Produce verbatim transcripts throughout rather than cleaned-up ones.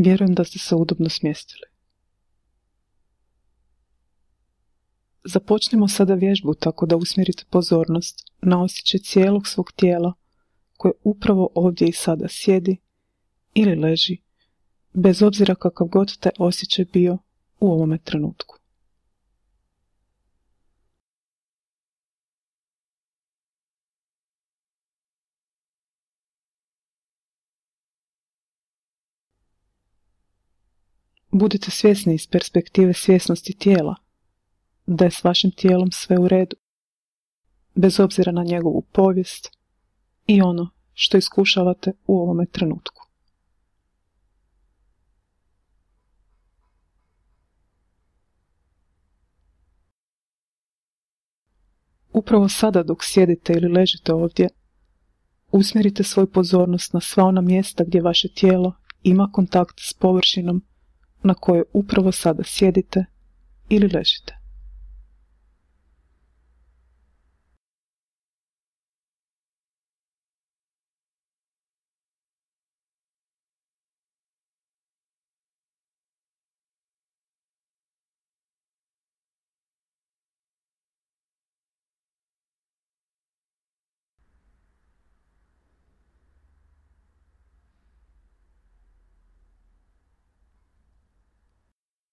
Vjerujem da ste se udobno smjestili. Započnimo sada vježbu tako da usmjerite pozornost na osjećaj cijelog svog tijela koje upravo ovdje i sada sjedi ili leži, bez obzira kakav god taj osjećaj bio u ovome trenutku. Budite svjesni iz perspektive svjesnosti tijela da je s vašim tijelom sve u redu, bez obzira na njegovu povijest i ono što iskušavate u ovome trenutku. Upravo sada dok sjedite ili ležite ovdje, usmjerite svoju pozornost na sva ona mjesta gdje vaše tijelo ima kontakt s površinom na kojoj upravo sada sjedite ili ležite.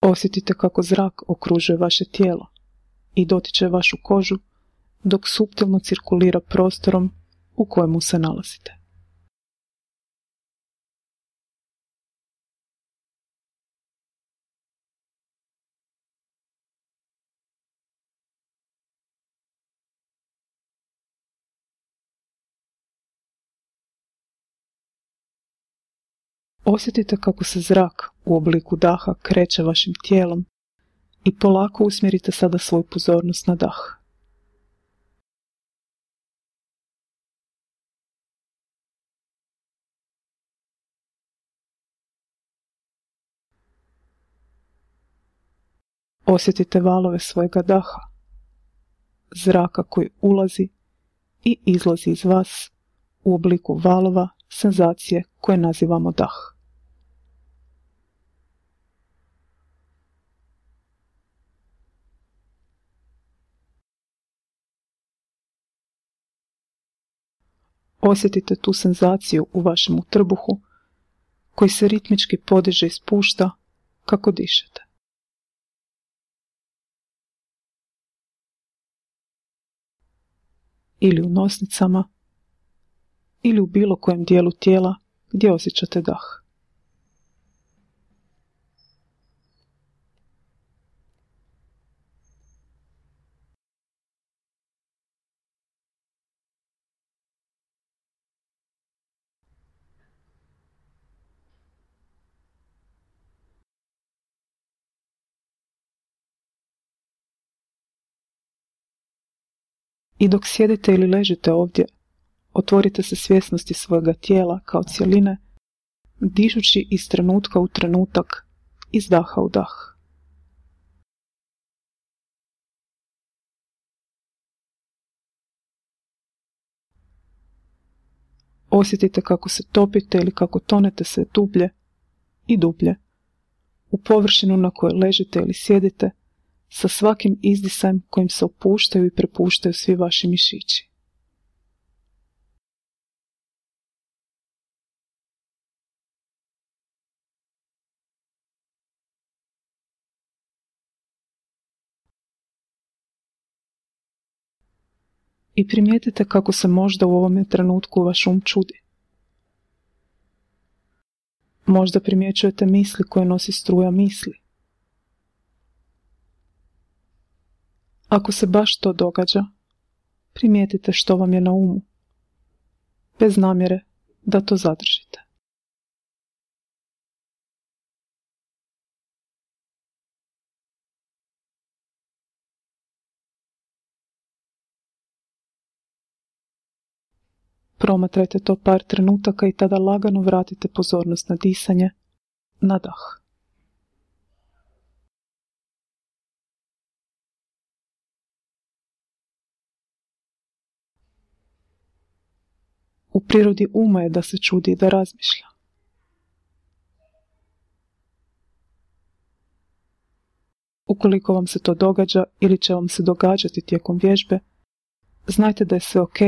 Osjetite kako zrak okružuje vaše tijelo i dotiče vašu kožu dok suptilno cirkulira prostorom u kojemu se nalazite. Osjetite kako se zrak u obliku daha kreće vašim tijelom i polako usmjerite sada svoju pozornost na dah. Osjetite valove svojega daha, zraka koji ulazi i izlazi iz vas u obliku valova senzacije koje nazivamo dah. Osjetite tu senzaciju u vašem trbuhu koji se ritmički podiže i spušta kako dišete. Ili u nosnicama, ili u bilo kojem dijelu tijela gdje osjećate dah. I dok sjedite ili ležite ovdje, otvorite se svjesnosti svojega tijela kao cjeline, dišući iz trenutka u trenutak, iz daha u dah. Osjetite kako se topite ili kako tonete sve dublje i dublje u površinu na kojoj ležite ili sjedite, sa svakim izdisajem kojim se opuštaju i prepuštaju svi vaši mišići. I primijetite kako se možda u ovome trenutku vaš um čudi. Možda primjećujete misli koje nosi struja misli. Ako se baš to događa, primijetite što vam je na umu, bez namjere da to zadržite. Promatrajte to par trenutaka i tada lagano vratite pozornost na disanje, na dah. U prirodi uma je da se čudi i da razmišlja. Ukoliko vam se to događa ili će vam se događati tijekom vježbe, znajte da je sve ok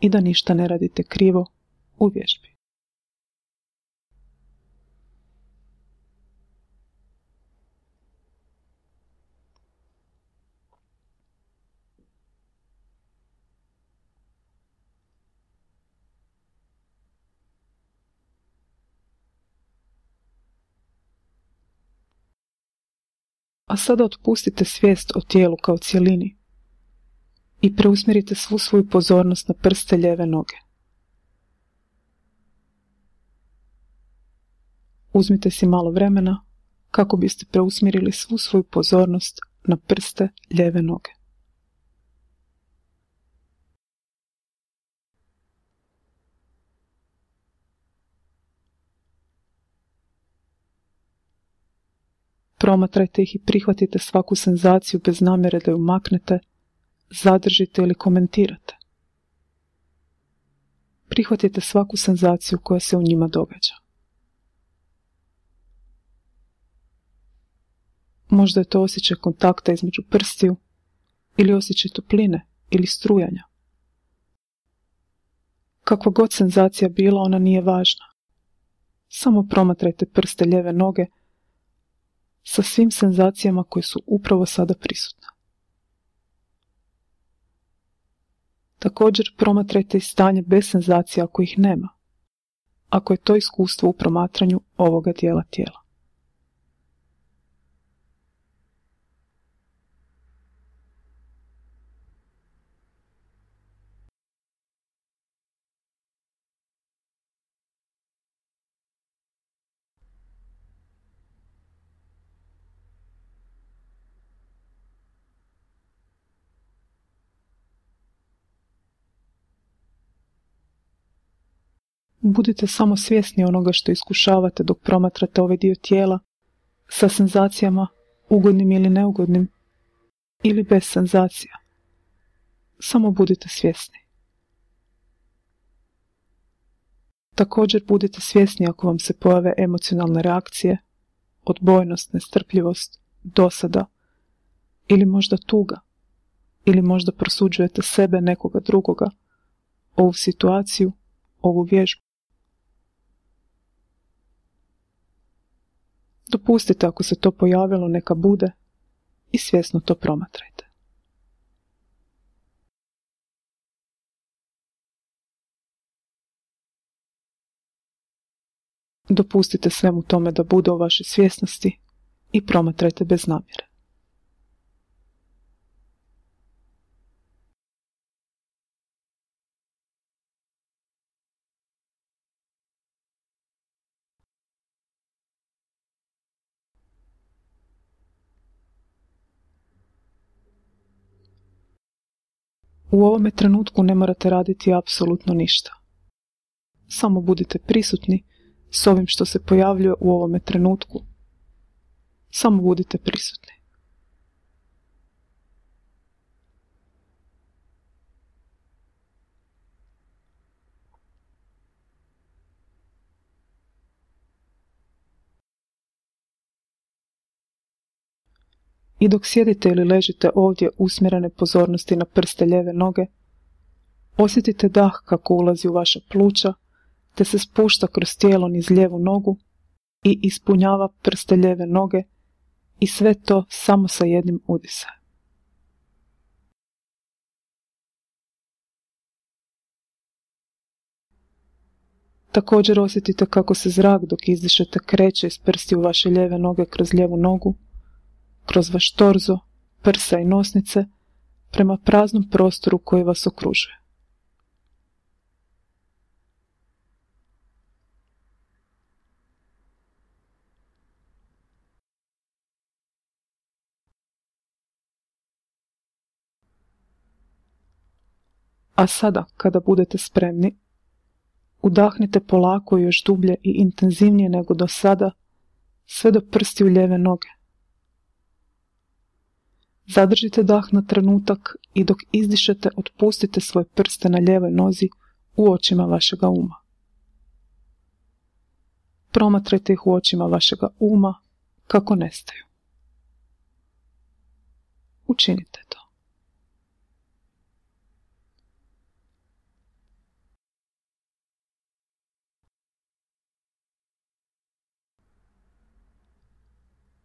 i da ništa ne radite krivo u vježbi. A sada otpustite svijest o tijelu kao cjelini i preusmjerite svu svoju pozornost na prste lijeve noge. Uzmite si malo vremena kako biste preusmjerili svu svoju pozornost na prste lijeve noge. Promatrajte ih i prihvatite svaku senzaciju bez namjere da ju maknete, zadržite ili komentirate. Prihvatite svaku senzaciju koja se u njima događa. Možda je to osjećaj kontakta između prstiju ili osjećaj topline ili strujanja. Kakva god senzacija bila, ona nije važna. Samo promatrajte prste lijeve noge sa svim senzacijama koje su upravo sada prisutne. Također promatrajte i stanje bez senzacija ako ih nema, ako je to iskustvo u promatranju ovoga dijela tijela. Budite samo svjesni onoga što iskušavate dok promatrate ovaj dio tijela sa senzacijama, ugodnim ili neugodnim, ili bez senzacija. Samo budite svjesni. Također budite svjesni ako vam se pojave emocionalne reakcije, odbojnost, nestrpljivost, dosada ili možda tuga, ili možda prosuđujete sebe, nekoga drugoga, ovu situaciju, ovu vježbu. Dopustite ako se to pojavilo, neka bude, i svjesno to promatrajte. Dopustite svemu tome da bude u vašoj svjesnosti i promatrajte bez namjere. U ovome trenutku ne morate raditi apsolutno ništa. Samo budite prisutni s ovim što se pojavljuje u ovome trenutku. Samo budite prisutni. I dok sjedite ili ležite ovdje usmjerene pozornosti na prste lijeve noge, osjetite dah kako ulazi u vaša pluća, te se spušta kroz tijelo niz lijevu nogu i ispunjava prste lijeve noge i sve to samo sa jednim udisajem. Također osjetite kako se zrak dok izdišete kreće iz prstiju vaše lijeve noge kroz lijevu nogu, kroz vaš torzo, prsa i nosnice, prema praznom prostoru koji vas okružuje. A sada, kada budete spremni, udahnite polako još dublje i intenzivnije nego do sada, sve do prstiju lijeve noge. Zadržite dah na trenutak i dok izdišete otpustite svoje prste na lijevoj nozi u očima vašega uma. Promatrajte ih u očima vašega uma kako nestaju. učinite to.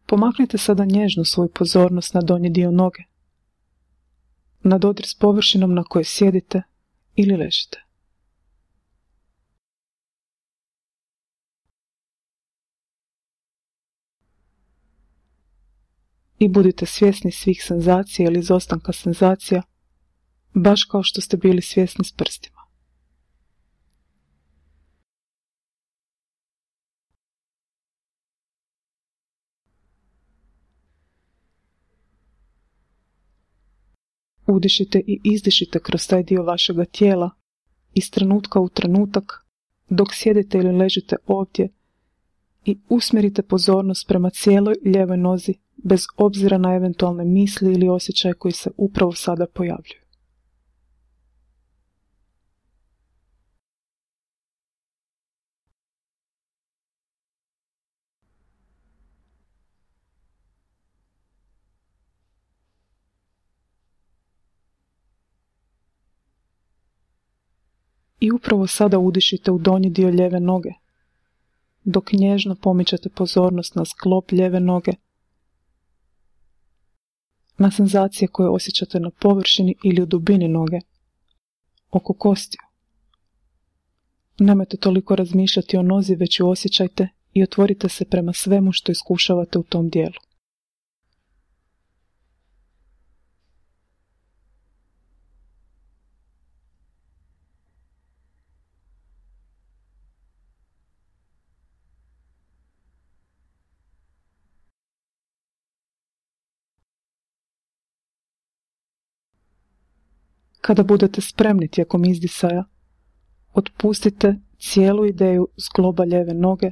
Pomaknite sada nježno svoju pozornost na donji dio noge, na dodir s površinom na kojoj sjedite ili ležite. I budite svjesni svih senzacija ili izostanka senzacija, baš kao što ste bili svjesni s prstima. Udišite i izdišite kroz taj dio vašega tijela iz trenutka u trenutak dok sjedite ili ležite ovdje i usmjerite pozornost prema cijeloj lijevoj nozi bez obzira na eventualne misli ili osjećaje koji se upravo sada pojavljuju. I upravo sada udišite u donji dio lijeve noge, dok nježno pomičete pozornost na sklop lijeve noge, na senzacije koje osjećate na površini ili u dubini noge, oko kostiju. Nemojte toliko razmišljati o nozi, već ju osjećajte i otvorite se prema svemu što iskušavate u tom dijelu. Kada budete spremni tijekom izdisaja, otpustite cijelu ideju zgloba lijeve noge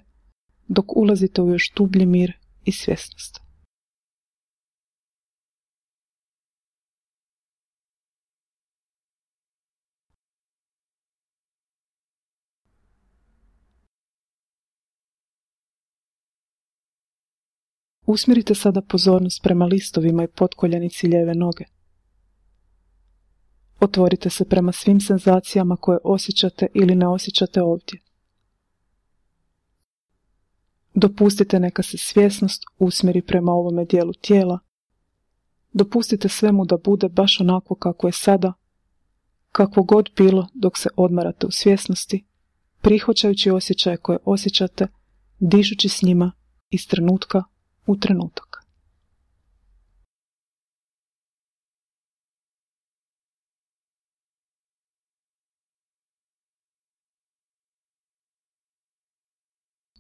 dok ulazite u još dublji mir i svjesnost. Usmjerite sada pozornost prema listovima i potkoljenici lijeve noge. Otvorite se prema svim senzacijama koje osjećate ili ne osjećate ovdje. Dopustite neka se svjesnost usmjeri prema ovome dijelu tijela. Dopustite svemu da bude baš onako kako je sada, kakvo god bilo dok se odmarate u svjesnosti, prihvaćajući osjećaje koje osjećate, dišući s njima iz trenutka u trenutak.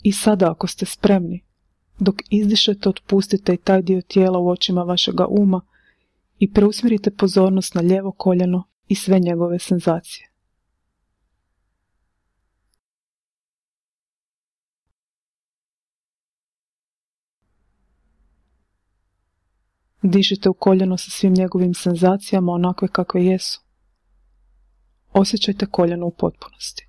I sada, ako ste spremni, dok izdišete, otpustite i taj dio tijela u očima vašega uma i preusmjerite pozornost na lijevo koljeno i sve njegove senzacije. Dišite u koljeno sa svim njegovim senzacijama onakve kakve jesu. Osjećajte koljeno u potpunosti.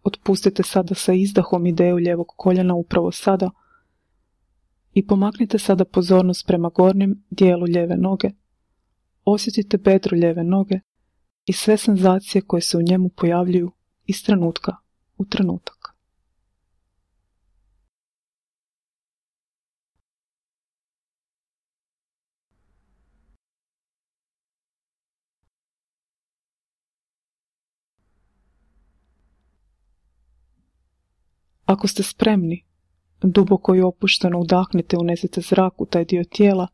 Otpustite sada sa izdahom ideju lijevog koljena upravo sada i pomaknite sada pozornost prema gornjem dijelu lijeve noge. Osjetite bedro lijeve noge i sve senzacije koje se u njemu pojavljuju iz trenutka u trenutak. Ako ste spremni, duboko i opušteno udahnite i unesite zrak u taj dio tijela,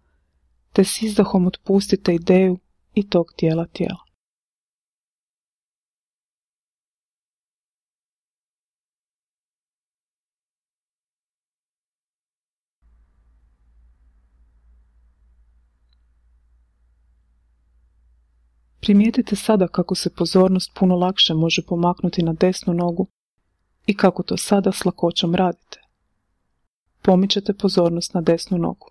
te s izdahom otpustite ideju i tog dijela tijela. Primijetite sada kako se pozornost puno lakše može pomaknuti na desnu nogu i kako to sada s lakoćom radite. Pomičete pozornost na desnu nogu.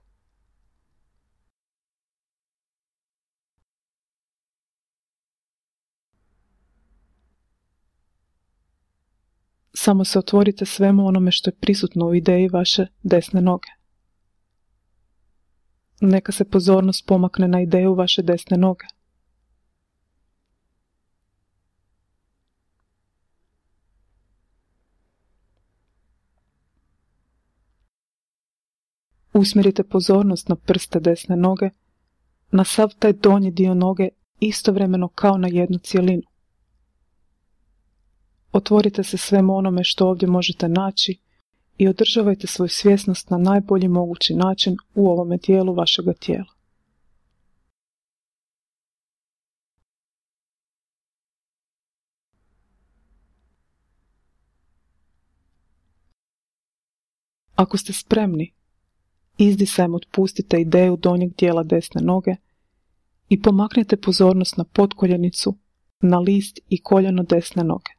Samo se otvorite svemu onome što je prisutno u ideji vaše desne noge. Neka se pozornost pomakne na ideju vaše desne noge. Usmjerite pozornost na prste desne noge, na sav taj donji dio noge istovremeno kao na jednu cjelinu. Otvorite se svemu onome što ovdje možete naći i održavajte svoju svjesnost na najbolji mogući način u ovome dijelu vašega tijela. Ako ste spremni, izdisajem otpustite ideju donjeg dijela desne noge i pomaknite pozornost na potkoljenicu, na list i koljeno desne noge.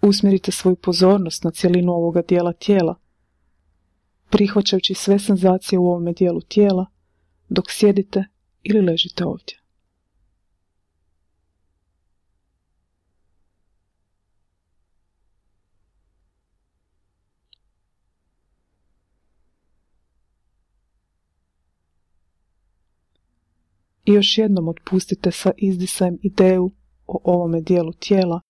Usmjerite svoju pozornost na cjelinu ovoga dijela tijela, prihvaćajući sve senzacije u ovome dijelu tijela dok sjedite ili ležite ovdje. I još jednom otpustite sa izdisajem ideju o ovome dijelu tijela,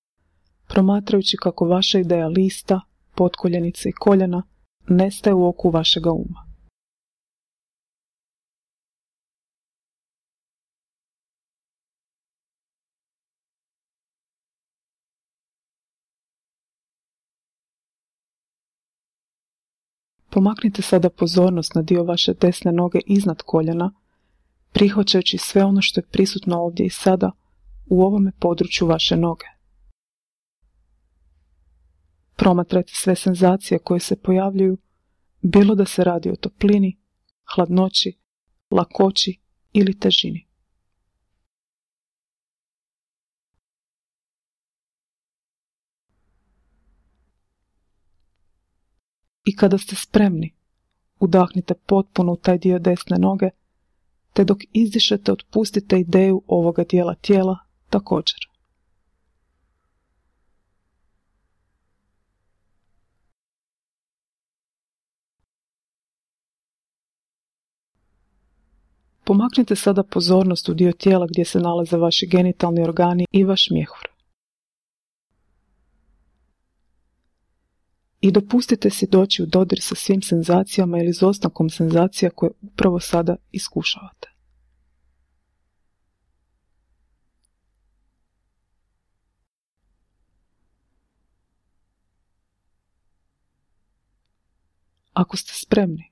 promatrajući kako vaša ideja lista, potkoljenice i koljena nestaje u oku vašega uma. Pomaknite sada pozornost na dio vaše desne noge iznad koljena, prihvaćajući sve ono što je prisutno ovdje i sada u ovome području vaše noge. Promatrajte sve senzacije koje se pojavljuju, bilo da se radi o toplini, hladnoći, lakoći ili težini. I kada ste spremni, udahnite potpuno u taj dio desne noge, te dok izdišete otpustite ideju ovoga dijela tijela također. Pomaknite sada pozornost u dio tijela gdje se nalaze vaši genitalni organi i vaš mjehur. I dopustite si doći u dodir sa svim senzacijama ili izostankom senzacija koje upravo sada iskušavate. Ako ste spremni,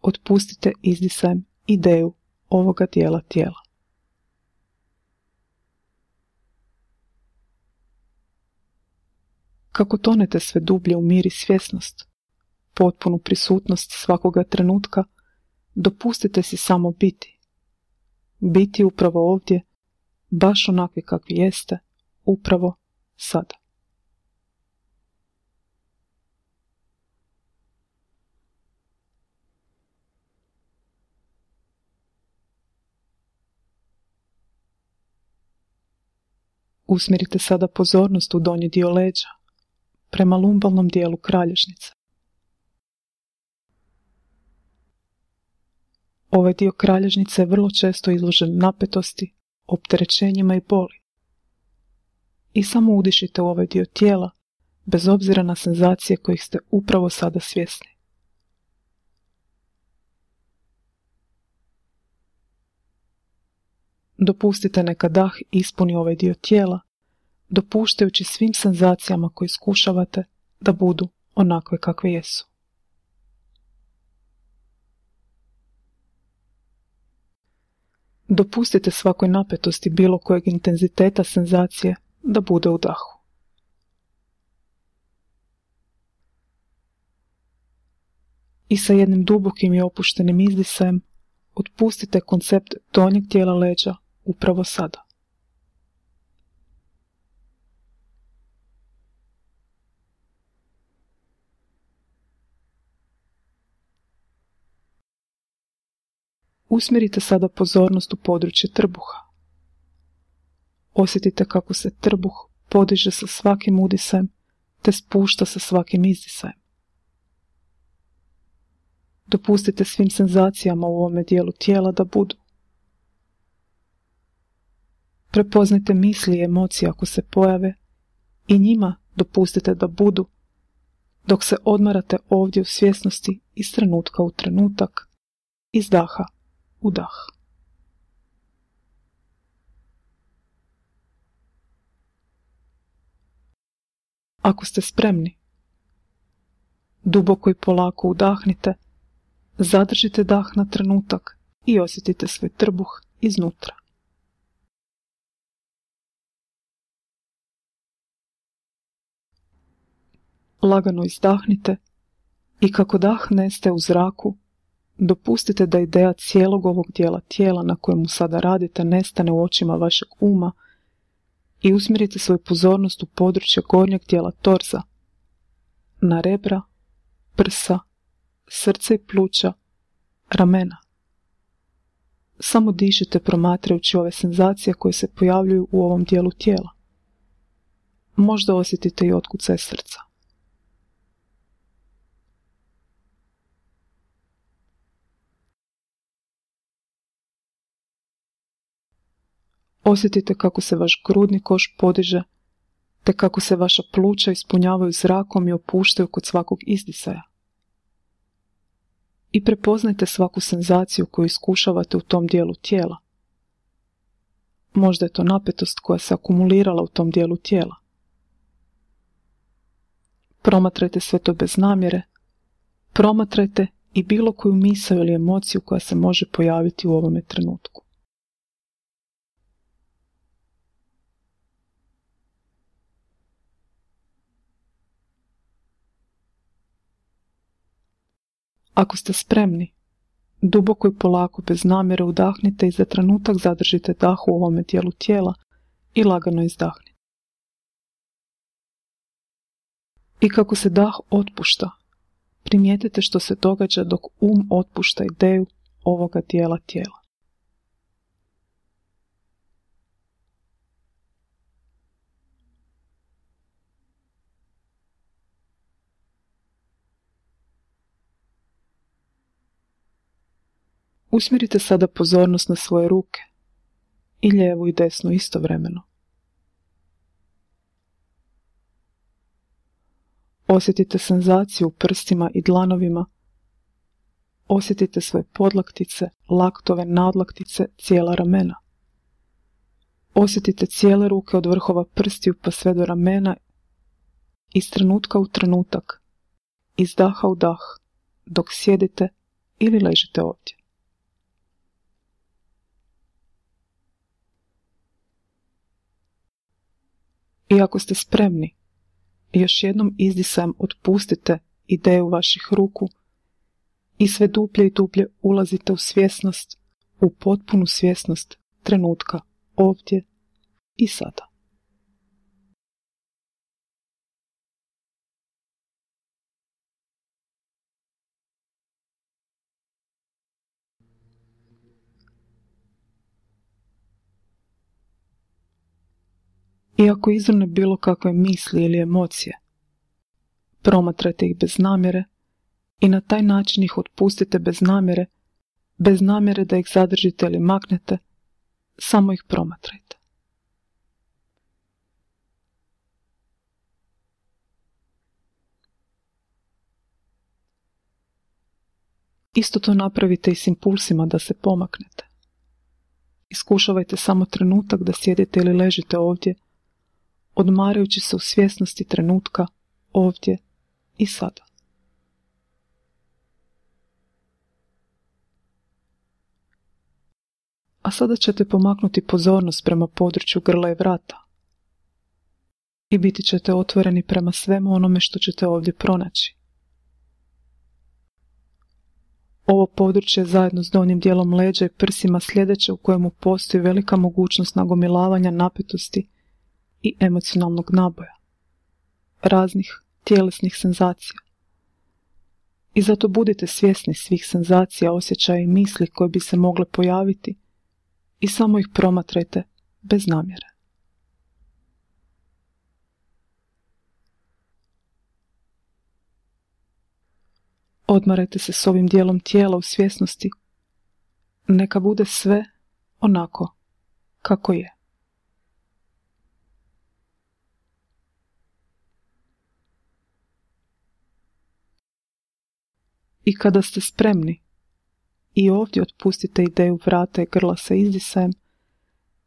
otpustite izdisajem ideju ovoga dijela tijela. Kako tonete sve dublje u mir i svjesnost, potpunu prisutnost svakoga trenutka, dopustite si samo biti. Biti upravo ovdje, baš onakvi kakvi jeste, upravo sada. Usmjerite sada pozornost u donji dio leđa, prema lumbalnom dijelu kralježnice. Ovaj dio kralježnice je vrlo često izložen napetosti, opterećenjima i boli. I samo udišite u ovaj dio tijela, bez obzira na senzacije kojih ste upravo sada svjesni. Dopustite neka dah ispuni ovaj dio tijela, dopuštajući svim senzacijama koje iskušavate da budu onakve kakve jesu. Dopustite svakoj napetosti bilo kojeg intenziteta senzacije da bude u dahu. I sa jednim dubokim i opuštenim izdisajem otpustite koncept donjeg dijela leđa upravo sada. Usmjerite sada pozornost u područje trbuha. Osjetite kako se trbuh podiže sa svakim udisajem te spušta sa svakim izdisajem. Dopustite svim senzacijama u ovome dijelu tijela da budu. Prepoznajte misli i emocije ako se pojave i njima dopustite da budu, dok se odmarate ovdje u svjesnosti iz trenutka u trenutak, iz daha u dah. Ako ste spremni, duboko i polako udahnite, zadržite dah na trenutak i osjetite svoj trbuh iznutra. Lagano izdahnite i kako dah nestaje u zraku, dopustite da ideja cijelog ovog dijela tijela na kojemu sada radite nestane u očima vašeg uma i usmjerite svoju pozornost u područje gornjeg dijela torza, na rebra, prsa, srce i pluća, ramena. Samo dišite promatrajući ove senzacije koje se pojavljuju u ovom dijelu tijela. Možda osjetite i otkucaj srca. Osjetite kako se vaš grudni koš podiže, te kako se vaša pluća ispunjavaju zrakom i opuštaju kod svakog izdisaja. I prepoznajte svaku senzaciju koju iskušavate u tom dijelu tijela. Možda je to napetost koja se akumulirala u tom dijelu tijela. Promatrajte sve to bez namjere. Promatrajte i bilo koju misao ili emociju koja se može pojaviti u ovome trenutku. Ako ste spremni, duboko i polako bez namjere udahnite i za trenutak zadržite dah u ovome dijelu tijela i lagano izdahnite. I kako se dah otpušta, primijetite što se događa dok um otpušta ideju ovoga dijela tijela. Usmjerite sada pozornost na svoje ruke, i lijevu i desnu istovremeno. Osjetite senzaciju u prstima i dlanovima. Osjetite svoje podlaktice, laktove, nadlaktice, cijela ramena. Osjetite cijele ruke od vrhova prstiju pa sve do ramena, iz trenutka u trenutak, iz daha u dah, dok sjedite ili ležite ovdje. I ako ste spremni, još jednom izdisajem otpustite ideju vaših ruku i sve dublje i dublje ulazite u svjesnost, u potpunu svjesnost trenutka ovdje i sada. I ako izvrne bilo kakve misli ili emocije, promatrajte ih bez namjere i na taj način ih otpustite bez namjere, bez namjere da ih zadržite ili maknete, samo ih promatrajte. Isto to napravite i s impulsima da se pomaknete. Iskušavajte samo trenutak da sjedite ili ležite ovdje, odmarajući se u svjesnosti trenutka ovdje i sada. A sada ćete pomaknuti pozornost prema području grla i vrata i biti ćete otvoreni prema svemu onome što ćete ovdje pronaći. Ovo područje zajedno s donjim dijelom leđa i prsima sljedeće u kojemu postoji velika mogućnost nagomilavanja napetosti i emocionalnog naboja, raznih tjelesnih senzacija. I zato budite svjesni svih senzacija, osjećaja i misli koje bi se mogle pojaviti i samo ih promatrajte bez namjere. Odmarajte se s ovim dijelom tijela u svjesnosti. Neka bude sve onako kako je. I kada ste spremni, i ovdje otpustite ideju vrata i grla sa izdisajem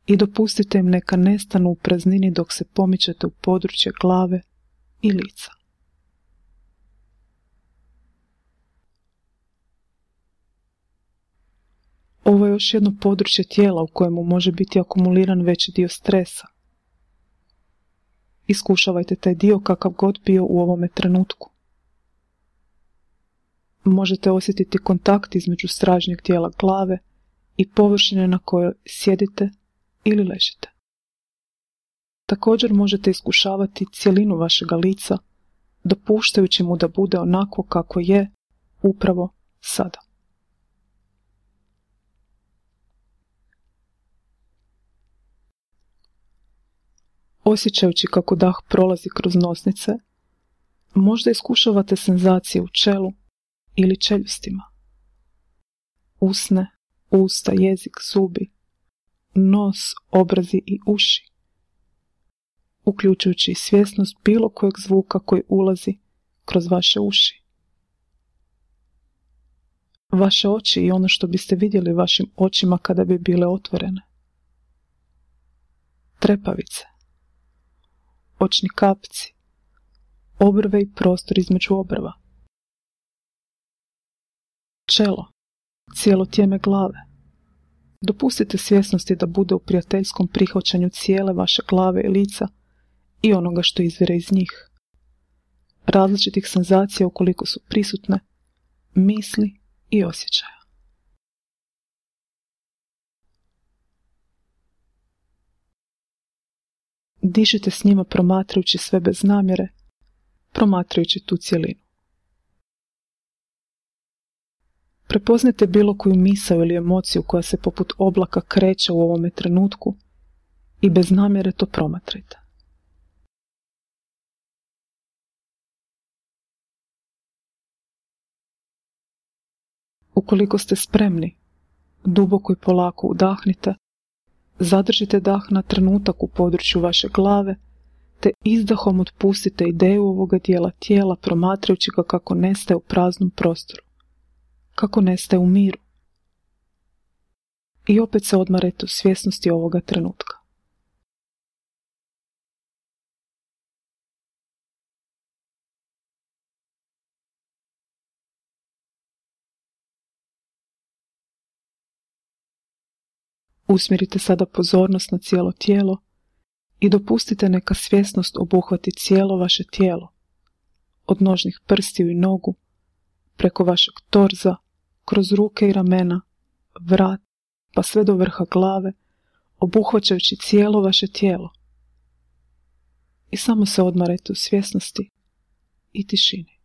i dopustite im neka nestanu u praznini dok se pomičete u područje glave i lica. Ovo je još jedno područje tijela u kojemu može biti akumuliran veći dio stresa. Iskušavajte taj dio kakav god bio u ovome trenutku. Možete osjetiti kontakt između stražnjeg dijela glave i površine na kojoj sjedite ili ležite. Također možete iskušavati cjelinu vašega lica, dopuštajući mu da bude onako kako je upravo sada. Osjećajući kako dah prolazi kroz nosnice, možda iskušavate senzacije u čelu ili čeljustima. Usne, usta, jezik, zubi, nos, obrazi i uši, uključujući i svjesnost bilo kojeg zvuka koji ulazi kroz vaše uši. Vaše oči i ono što biste vidjeli vašim očima kada bi bile otvorene. Trepavice, očni kapci, obrve i prostor između obrva. Čelo, cijelo tijeme glave. Dopustite svjesnosti da bude u prijateljskom prihvaćanju cijele vaše glave i lica i onoga što izvire iz njih. Različitih senzacija ukoliko su prisutne, misli i osjećaja. Dišite s njima promatrajući sve bez namjere, promatrajući tu cjelinu. Prepoznajte bilo koju misao ili emociju koja se poput oblaka kreće u ovome trenutku i bez namjere to promatrajte. Ukoliko ste spremni, duboko i polako udahnite, zadržite dah na trenutak u području vaše glave, te izdahom otpustite ideju ovoga dijela tijela promatrajući ga kako nestaje u praznom prostoru, kako nestaje u miru. I opet se odmarajte u svjesnosti ovoga trenutka. Usmjerite sada pozornost na cijelo tijelo i dopustite neka svjesnost obuhvati cijelo vaše tijelo, od nožnih prstiju i nogu, preko vašeg torza, kroz ruke i ramena, vrat, pa sve do vrha glave, obuhvaćajući cijelo vaše tijelo. I samo se odmarajte u svjesnosti i tišini.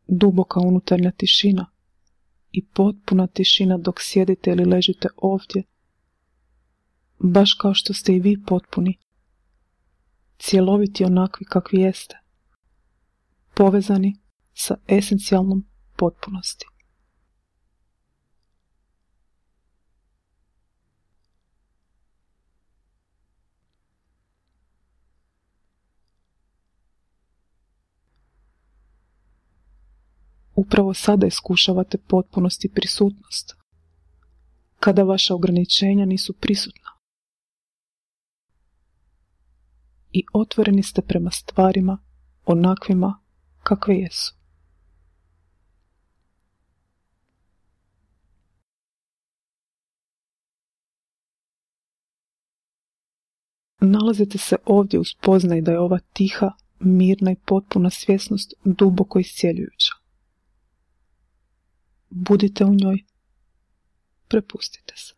Duboka unutarnja tišina i potpuna tišina dok sjedite ili ležite ovdje, baš kao što ste i vi potpuni, cjeloviti onakvi kakvi jeste, povezani sa esencijalnom potpunosti. Upravo sada iskušavate potpunost i prisutnost, kada vaša ograničenja nisu prisutna. I otvoreni ste prema stvarima onakvima kakve jesu. Nalazite se ovdje u spoznaji da je ova tiha, mirna i potpuna svjesnost duboko iscjeljujuća. Budite u njoj, prepustite se.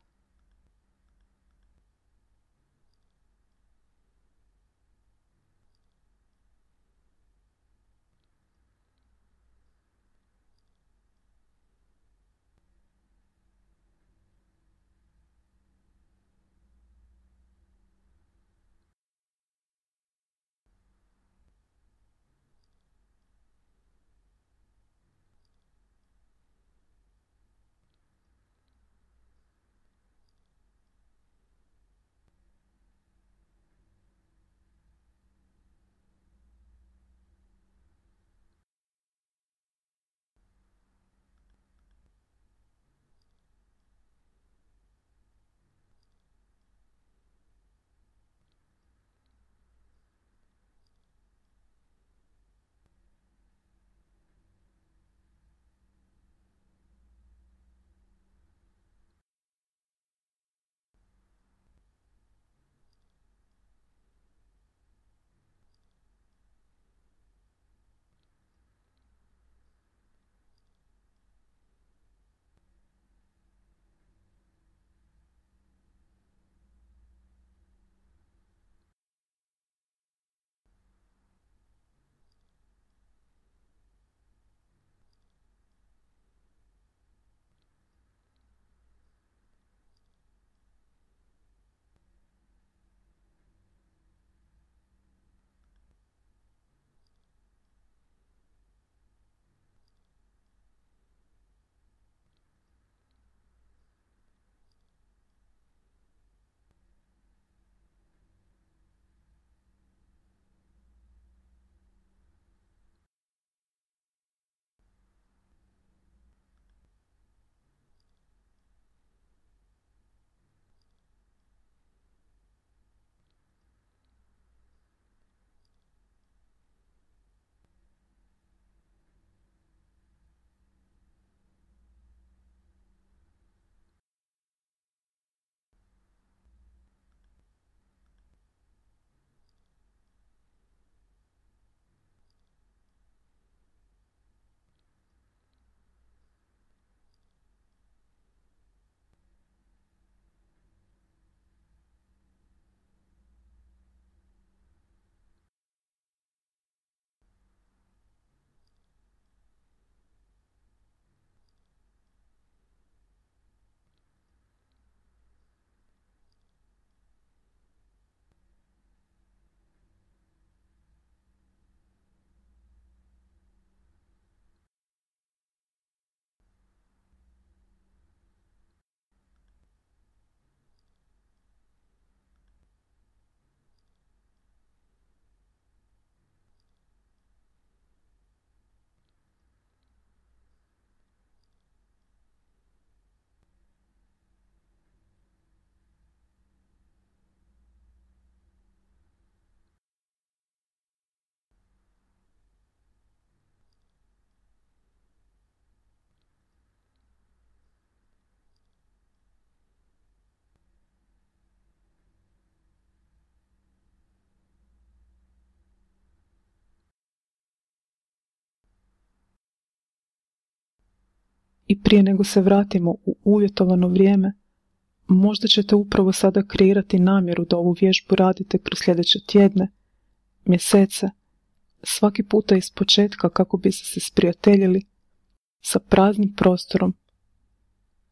I prije nego se vratimo u uvjetovano vrijeme, možda ćete upravo sada kreirati namjeru da ovu vježbu radite kroz sljedeće tjedne, mjesece, svaki puta iz početka kako biste se sprijateljili sa praznim prostorom,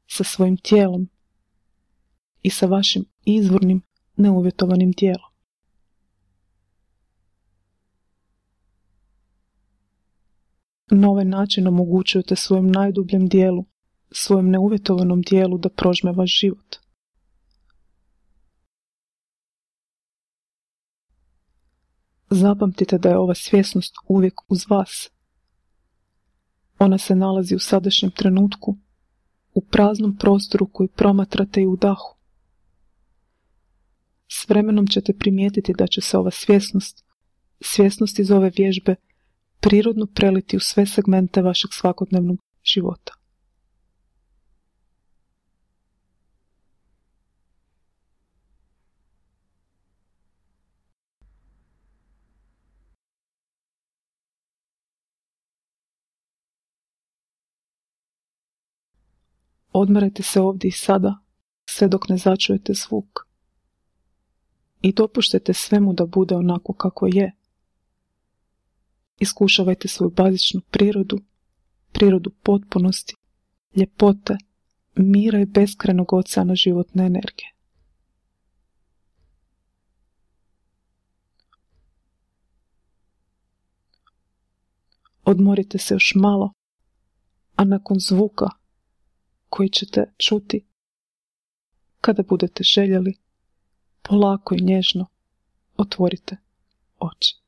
sa svojim tijelom i sa vašim izvornim neuvjetovanim tijelom. Na ovaj način omogućujete svojem najdubljem dijelu, svojem neuvjetovanom dijelu da prožme vaš život. Zapamtite da je ova svjesnost uvijek uz vas. Ona se nalazi u sadašnjem trenutku, u praznom prostoru koji promatrate i u dahu. S vremenom ćete primijetiti da će se ova svjesnost, svjesnost iz ove vježbe, prirodno preliti u sve segmente vašeg svakodnevnog života. Odmarajte se ovdje i sada, sve dok ne začujete zvuk. I dopuštajte svemu da bude onako kako je. Iskušavajte svoju bazičnu prirodu, prirodu potpunosti, ljepote, mira i beskrajnog oceana životne energije. Odmorite se još malo, a nakon zvuka koji ćete čuti, kada budete željeli, polako i nježno otvorite oči.